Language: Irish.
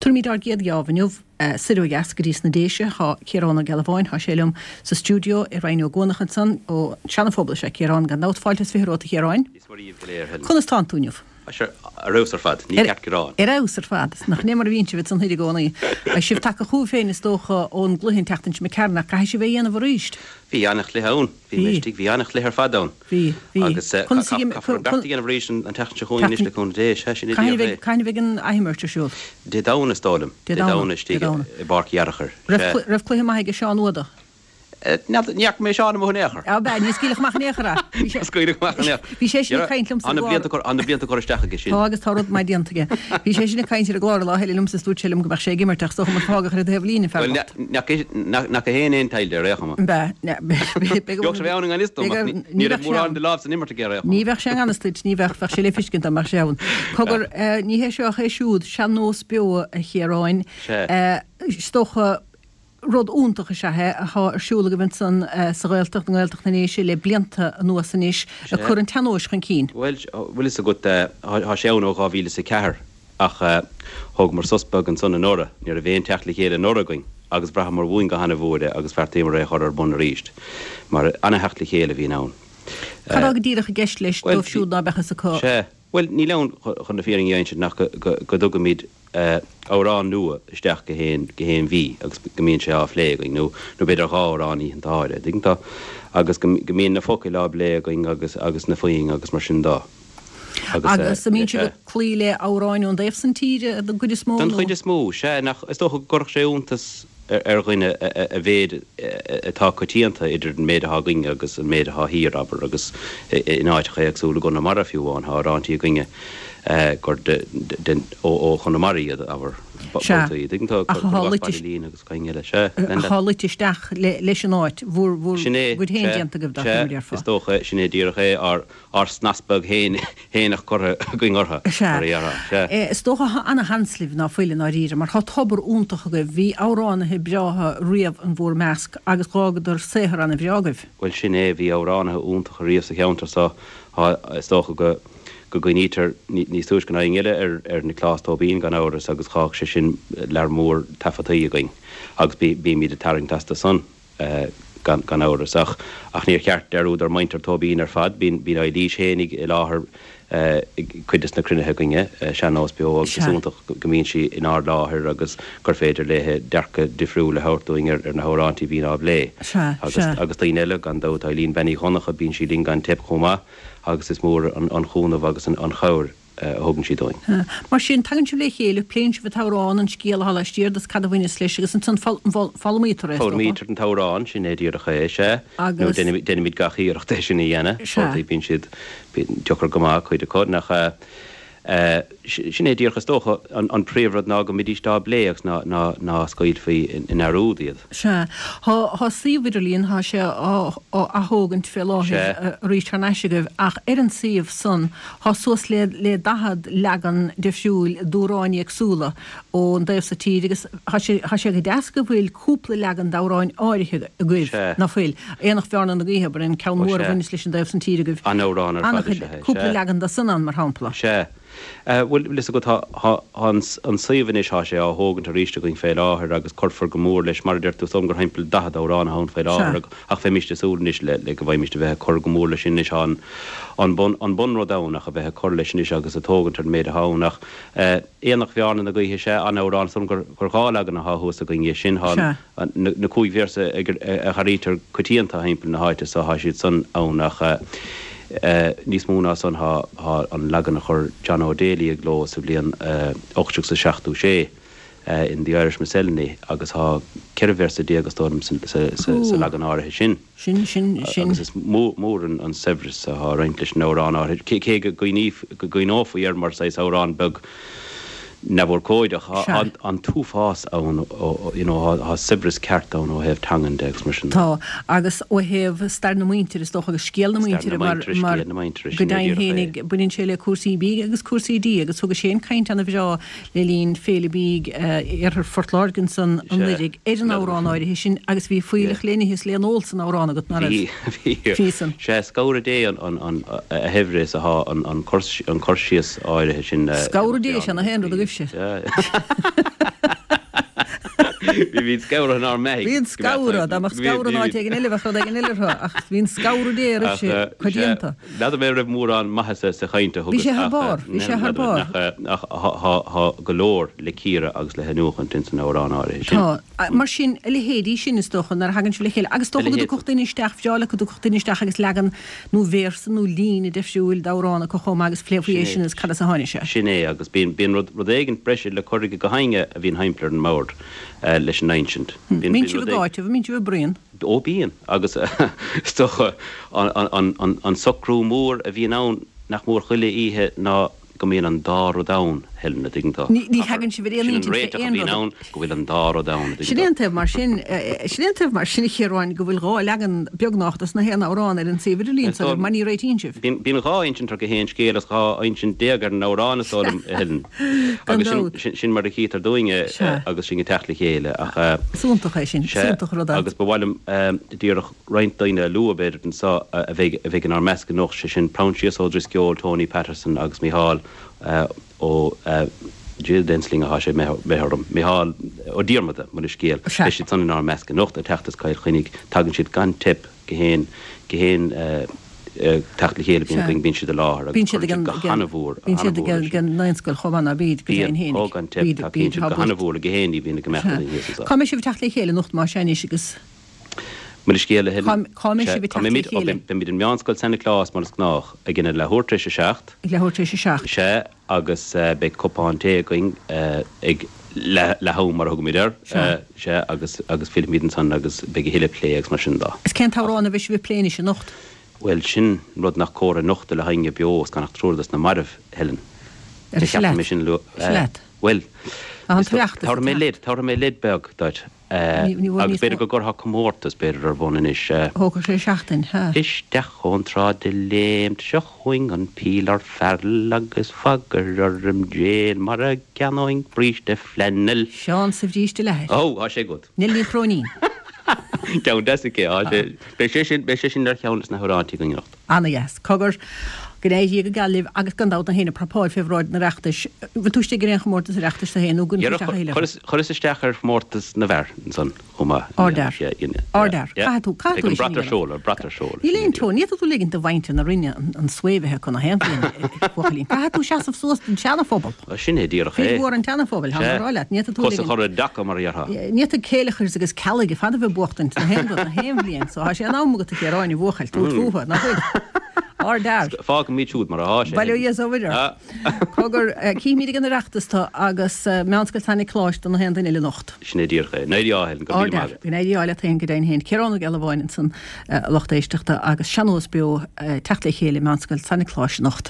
Tabharfaimid ár gcéad gheábh inniu soir ó dheas go dtí sna Déise. Tá Ciarán Ó Gealbháin, tá sé liom sa stiúideo i Rinn Ó gCuanach ansan, ó Seana-Phobal is ea Ciarán, gan dabht. Fáilte is 20 romhat a Chiaráin. Dia is Muire dhaoibh go léir, Helen. Conas tánn tú inniu? Tá sé ar fheabhas ar fad, ní ceart gearán. Ar fheabhas ar fad. Nach in é mar a bhíonn sibh ansan thoir i gcónaí. Beidh sibh tagtha chugaibh féin is dócha ón gcluiche an tseachtain seo imigh tharainn ach caithfidh sibh é a dhéanamh arís. Bhí an-chluiche ann. Bhí mé istigh, bhí an-chluiche ar fad ann. Bhí, bhí. Agus caithfear an beart a dhéanamh arís an tseachtain seo chugainn anois le cúnamh Dé. Sea, sin é díreach é. Cathain a bheidh an athimirt ar siúl? Dé Domhnaigh is dóigh liom. Dé Domhnaigh istigh i bPáirc Uí Fhearachair. Raibh cluiche maith aige Seán Uada? Ní fhaca mé Seán amuigh in aon chor. Ab ea, níor scaoileadh amach in aon chor é. Níor scaoileadh amach in aon chor. Bhí sé sin ag caint liomsa ar an gclár. Tá na blianta curtha isteach aige sin. Tá agus tá rud maith déanta aige. Bhí sé sin ag caint ar an gclár lá eile liomsa is dúirt sé liom go mbeadh sé ag imirt ach is dócha mar fágadh ar an taobh líne an fear bocht. Bhuel, nach é féin aon taighde ar aon chuma. Ab ea. Bheadh sé ann i ngan fhios dom ach ní raibh mórán de lámh san imirt aige ar aon chuma. Ní bheadh sé i ngan fhios duit, ní bheadh, bheadh sé le feiscint dá mbeadh sé ann. Cogar, ní hé seo ach é siúd, Sean-Nós Beo a Chiaráin. Sea. Is dócha, rud iontach is ea é atá ar siúl agaibh ansan sa Ghaeltacht, i nGaeltacht na nDéise le blianta anuas anois, ag cur an tsean-nóis chun cinn. Bhuel, bhfuil fhios agat, tá sé ann ó 2004 ach thógamar sos beag ansan anuraidh, ní raibh aon teacht le chéile anuraidh againn agus bhraitheamar uainn go hana-mhór é agus bheartaíomar é a chur ar bun arís mar ana-theacht le chéile a bhíonn ann. Cad atá go díreach i gceist leis dóibh siúd ná beadh fhios acu? Sea, bhuel, níl ann chun na fírinne a insint ach go dtugaimid amhrán nua isteach gach aon, gach aon mhí agus go mbíonn sé á phlé againn, nó, nó b'fhéidir dhá amhrán oícheanta áirithe, tuigeann tú, agus go, go mbíonn na focail á bplé againn agus, agus na foinn agus mar sin dó. Agus, Agus an mbíonn sibh ag cloí le amhráin ón dtaobh san tíre den gcuid is mó, Den nó? chuid is mó, sea, nach, is dócha go gcuirfeadh sé iontas ar dhuine a mhéid atá coitianta idir an méid atá againne agus an méid atá thiar, abair, agus in áiteacha éagsúla i gConamara fiú amháin, tá amhráintí againne gur ó Chonamara iad, abair, babhtaí, tuigeann tú, ach atá luite isteach leis an áit, bhur gcuid féin déanta agaibh, dá mar a déarfá. Is dócha, sin é díreach é, ár snas beag fhéineach curtha againn orthu, mar a déarfá. Sea. Is dócha thá ana-sheans libh ná fuil i ndáiríre, mar thá tobar iontach agaibh, bhí amhránaithe breátha riamh in bhúr measc agus dh'fhágadar saothar ana-bhreá agaibh. Bhuel, sin é, bhí amhránaithe iontacha riamh sa cheantar so, thá, is dócha go, go gcuimhnítear níos túisce ná éinne eile ar, ar Nioclás Tóibín gan amhras agus dh'fhág sé sin lear mór taifeadtaí againn agus bí, bímid ag tarraingt astu san. gan amhras. Ach ach níor cheart dearúd ar mhuintir Tóibín ar fad. Bíonn bíonn Eilís fhéinig i láthair ag cuid des na cruinnithe againne, Sean-Nós Beo, agus is iontach go mbíonn sí inár láthair agus gur féidir léithe dearcadh difriúil a thabhairt dúinn ar ar na hamhráintí a bhíonn á bplé. Agus agus daoine eile, gan dabht, Eileen Bean Uí Dhonncha, bíonn sí linn gan teip chomh maith agus is mór an an chúnamh agus an an chabhair a thugann sí dúinn. Mar sin, tagann sibh le chéile, pléann sibh an t-amhrán, an scéal atá laistiar de is cad a bhaineas leis agus ansan foghlaimítear é, is dócha. Foghlaimítear an t-amhrán, sin é díreach é, sea. Nó déanaimid gach iarracht é sin a dhéanamh. Sea. Bíonn siad deacair go maith, cuid acu, nach ea? Sin é díreach, is dócha, an príomhrud ná go mbídís á bplé agus ná scaoilfí i ndearúd iad. Sea. Tá suíomh idirlíon, tá sé á athógaint fé láthair arís thar n-ais agaibh ach ar an suíomh san Tá suas le le 40 leagan difriúil d'amhráin éagsúla ón dtaobh so tíre agus tá sé tá sé go deas go bhfuil cúpla leagan d'amhráin áirithe agaibh, Sea. ná fuil? Aonach Bhearna na Gaoithe, abair, an ceann Ó mór a sea. bhaineas leis an dtaobh san tíre agaibh. An-amhrán ar fad is An-chuid, ea é, cúpla sea. leagan de san ann, mar shampla. Sea. Bhuel, bhfuil fhios agat, tá, tá, tá an, an suíomh anois, tá sé á thógaint arís againn fé láthair agus cuirfear go mór leis, mar a deir tú, is dóigh liom gur thimpeall 40 amhrán atá ann fé láthair Sea. ach bheimíst ag súil anois le, le go bhfaighimíst a bheith ag cur go mór leis sin anois. Tá an, an bun, an bunrud ann ach a bheith ag cur leis anois agus ag tógaint ar an méid atá ann ach eh, Aonach Bhearna na Gaoithe, sea, an-amhrán, is dóigh liom gur, gur dhá leagan atá thuas againn dhe sin, tá Sea. an, na, na cúig véarsa ag, a dh'airítear coitianta thimpeall na háite so, tá siad san ann ach eh, Níos mó ná san, tá an leagan a chuir John O'Daly i gcló sa bhliain 1876 in The Irish Miscellany agus tá 14 véarsa is dóigh liom sa leagan áirithe sin. Agus is mór an saibhreas atá ag roinnt leis an amhrán áirithe, cé go gcuimhneofaí air mar saghas amhrán beag neamhurchóideach. Tá an t-uafás ann, you know, tá saibhreas ceart ann ó thaobh teangan de agus mar sin de. Tá, agus ó thaobh stair na muintire, is dócha, agus scéal na muintire, mar go deimhin fhéinig, baineann sé le cúrsaí bídh agus cúrsaí dí, agus thugais féin caint ana-bhreá le linn Féile Bídh Iarthar Phort Láirge ansan anuiridh ar an amhrán áirithe sin agus bhí fuílleach le n-ithe is le n-ól san amhrán agat, ná raibh? Bhí, bhí. Bhí san. Sea, scabhradh Dé an a shaibhre is atá an cur síos áirithe sin. Scabhradh Dé, sea, nach é an rud agaibhse. Sea. Bhí scamhradh inár mbeathaigh. Bhí an scamhradh, dá mbeadh scamhradh in áit éigin eile bheadh rud éigin eile orthu, ach bhí an scamhradh Dé roimhse coitianta. N'fheadar mé raibh mórán maitheasa sa chaint a thugas Bhí sé thar barr, bhí sé thar barr. Ach tá go leor le cíoradh agus le hiniúchaint ins an amhrán áirithe sin. Tá. Mar sin, a leithéidí sin, is dócha, nuair a thagann sibh le chéile, agus is dócha go dtiocfadh duine isteach, bhreá le go dtiocfadh duine isteach agus leagan nó véarsa nó líne deifriúil d'amhrán acu chomh maith agus phléifí é sin agus cad as a tháinig sé. Sin é, agus bíonn, bíonn rud, rud éigint breise le cur ag gach éinne a bhíonn thimpeall ar an mbord leis an insint. Bíonn, bíonn sibh ag áiteamh, an mbíonn sibh ag bruíon? Ó bíonn, agus is dócha an, an, an, an socrú mór a bhíonn ann nach mór chuile oíche ná go mbíonn an dá rud ann, Helen, a' dtuigeann tú. Ní thagann sibh ar aon intinn fé aon rud. Sin an réiteach a bhíonn ann, go bhfuil an dá rud ann, a dtuigeann tú. Sin é an taobh mar sin, sin é an taobh mar sin, a Chiaráin, go bhfuil dhá leagan beagnach dos na haon amhrán ar an suíomh idirlín so mar ní réitíonn sibh. Bíonn dhá insint ar gach aon scéal is dhá insint ar an amhrán is dóigh liom, a Helen. Gan dabht. Agus sin mar a chítear dúinn é agus sinn ag teacht le chéile ach. Is iontach é sin, is iontach rud é. Agus ba mhaith liom díreach roinnt daoine a lua, b'fhéidir, anseo a bheidh a bheidh inár measc anocht, sé sin Proinsias Ó Drisceoil, Tony Patterson agus Micheál Ó Dia den sloinne atá sé imithe orm, Micheál Ó Diarmada, mo leithscéal. Beidh siad san inár measc anocht ag teacht as Cill Chainnigh. Tagann siad gan teip go haon go haon teacht le chéile a bhíonn againn, bíonn siad i láthair agus cuireann siad go han-mhór, Bíonn siad ag an Naíonscoil chomh maith ná bíd, go deimhin féinig. Bíonn, ó gan teip, tacaíonn siad go han-mhór le gach aon ní a bhíonn ag imeacht againn thíos anseo. Cá mbeidh sibh ag teacht le chéile anocht más ea anois agus. Mo leithscéal, a Helen. Cá mbeidh sibh ag teacht le chéile? Beimid in Meánscoil San Nioclás, mar is gnách, ag an leathuair tar éis a seacht. Ag leathuair tar éis a seacht. Sea, agus beidh cupán tae againn ag leath-am, mar a thugaimid air. Sea. Sea, agus agus fillfimid ansan agus beidh a thuilleadh plé agus mar sin de. Is cén t-amhrán a bheidh sibh ag plé anois anocht? Bhuel, sin rud nach cóir a nochtadh le héinne beo is gan ach triúr dos na mairbh, Helen. Ar ise leat. Bhuel, tabharfaidh mé leid, tabharfaidh mé leid beag duit. Agus b'fhéidir go gcuirfeá comórtas, b'fhéidir, ar bun anois. Thógfadh sé seachtain, ha. Isteach ón tsráid de léimt, seo chugainn an pílear fearúil agus bagair orm déil mara gceannóinn bríste flannel. Seán sa bhríste leathair. Ó, tá sé agat. Neil Ní Chróinín. Ceann deas aici, tá sé. Beidh sé sin, beidh sé sin ar cheann des na hamhráintí againn anocht. Ana-dheas. Cogar, go n-éirí go geal libh agus gan dabht na héinne prapáil fé bhráid an Oireachtais. Bhfuil tú istigh ar aon chomórtas Oireachtais tú féin nó gcuireann tú isteach a thuilleadh? Chuireas, chuireas isteach ar chomórtas na bhfear ansan chomh maith. Ardfhear. Ardfhear. Caithfidh tú, caithfidh tú é sin a dhéanamh. Beidh an brat ar seoladh, brat ar seoladh. Níl aon teorainn, ní fhéadfaidh tú ligint do mhuintir na Rinne an svae a bheith acu na haon bhliain, a bhuachaillín. Caithfidh tú seasamh suas don tseanaphobal. Sin é díreach é. Fir mhór an tseanaphobail, tá mé ag rá leat. Ní fhéadfaidh tú Cos a chur i dtaca, mar a déarfá. Ní fhéadfaidh Céileachars agus Ceallaigh ar fad a bheith ag buachtaint na haon rud, na haon bhliain. So tá sé in am agat a Chiaráin, a bhuachaill, tabhairt fúthu, nach bhfuil? Ardfhear. Fágfaimid siúd mar atá sé. Bail ó Dhia is ó Mhuire ort. Cogar, cífimid ag an Oireachtas tú agus Meánscoil San Niocláis do na haon duine eile anocht. Sin é díreach é. Go n-éirí ádh, Helen. Go raibh míle maith agat. Go n-éirí ádh leat féin, go deimhin féin. Ciarán Ó Gealbháin ansan, a lucht éisteachta, agus Sean-Nós Beo, teacht le chéile i Meánscoil San Niocláis anocht.